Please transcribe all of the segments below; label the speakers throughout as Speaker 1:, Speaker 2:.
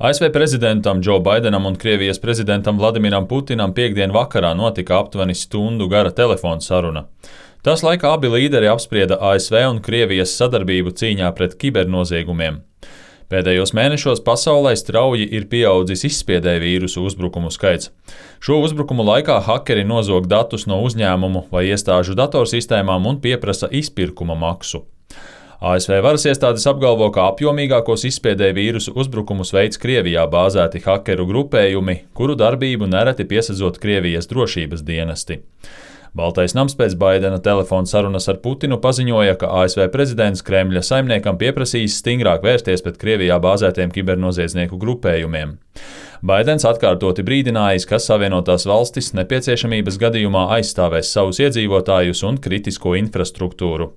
Speaker 1: ASV prezidentam Džo Baidenam un Krievijas prezidentam Vladimiram Putinam piektdien vakarā notika aptuveni stundu gara telefona saruna. Tās laikā abi līderi apsprieda ASV un Krievijas sadarbību cīņā pret kibernoziegumiem. Pēdējos mēnešos pasaulē strauji ir pieaudzis izspiedēju vīrusu uzbrukumu skaits. Šo uzbrukumu laikā hakeri nozog datus no uzņēmumu vai iestāžu datorsistēmām un pieprasa izpirkuma maksu. ASV varas iestādes apgalvo, ka apjomīgākos izspiedēju vīrusu uzbrukumus veids Krievijā bāzēti hakeru grupējumi, kuru darbību nereti piesadzot Krievijas drošības dienesti. Baltais nams pēc Baidena telefona sarunas ar Putinu paziņoja, ka ASV prezidents Kremļa saimniekam pieprasīs stingrāk vērsties pret Krievijā bāzētiem kibernoziedznieku grupējumiem. Baidens atkārtoti brīdinājis, ka Savienotās valstis nepieciešamības gadījumā aizstāvēs savus iedzīvotājus un kritisko infrastruktūru.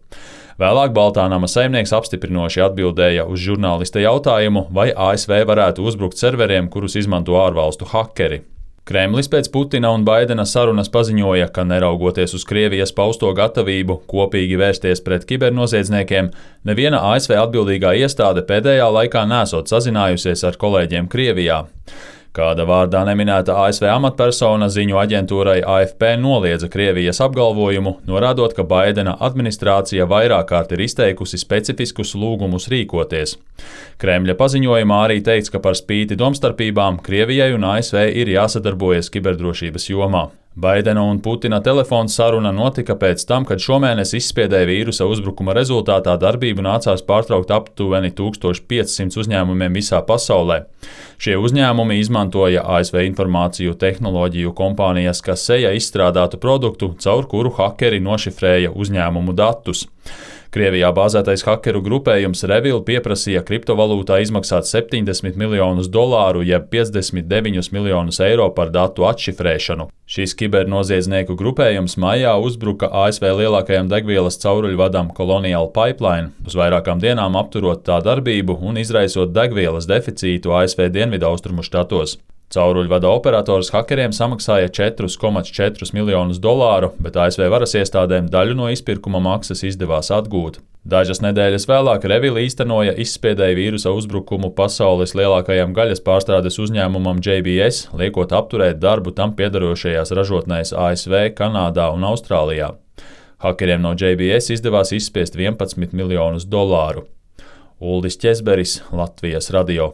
Speaker 1: Vēlāk Baltā nama saimnieks apstiprinoši atbildēja uz žurnālista jautājumu, vai ASV varētu uzbrukt serveriem, kurus izmanto ārvalstu hakeri. Kremlis pēc Putina un Baidena sarunas paziņoja, ka neraugoties uz Krievijas pausto gatavību kopīgi vērsties pret kibernoziedzniekiem, neviena ASV atbildīgā iestāde pēdējā laikā nesot sazinājusies ar kolēģiem Krievijā. Kāda vārdā neminēta ASV amatpersona ziņu aģentūrai AFP noliedza Krievijas apgalvojumu, norādot, ka Baidena administrācija vairāk kārt ir izteikusi specifiskus lūgumus rīkoties. Kremļa paziņojumā arī teikts, ka par spīti domstarpībām Krievijai un ASV ir jāsadarbojas kiberdrošības jomā. Baidena un Putina telefona saruna notika pēc tam, kad šomēnes izspiedēja vīrusa uzbrukuma rezultātā darbību nācās pārtraukt aptuveni 1500 uzņēmumiem visā pasaulē. Šie uzņēmumi izmantoja ASV informāciju tehnoloģiju kompānijas Kaseja izstrādātu produktu, caur kuru hakeri nošifrēja uzņēmumu datus. Krievijā bāzētais hakeru grupējums Revil pieprasīja kriptovalūtā izmaksāt $70 miljonus, jeb 59 miljonus eiro par datu atšifrēšanu. Šis kibernoziedznieku grupējums maijā uzbruka ASV lielākajam degvielas cauruļvadam Colonial Pipeline, uz vairākām dienām apturot tā darbību un izraisot degvielas deficītu ASV dienvidaustrumu štatos. Cauruļvada operators hakeriem samaksāja $4,4 miljonus, bet ASV varas iestādēm daļu no izpirkuma maksas izdevās atgūt. Dažas nedēļas vēlāk Revil īstenoja izspiedēju vīrusa uzbrukumu pasaules lielākajam gaļas pārstrādes uzņēmumam JBS, liekot apturēt darbu tam piederošajās ražotnēs ASV, Kanādā un Austrālijā. Hakeriem no JBS izdevās izspiest $11 miljonus. Uldis Ķezberis, Latvijas radio.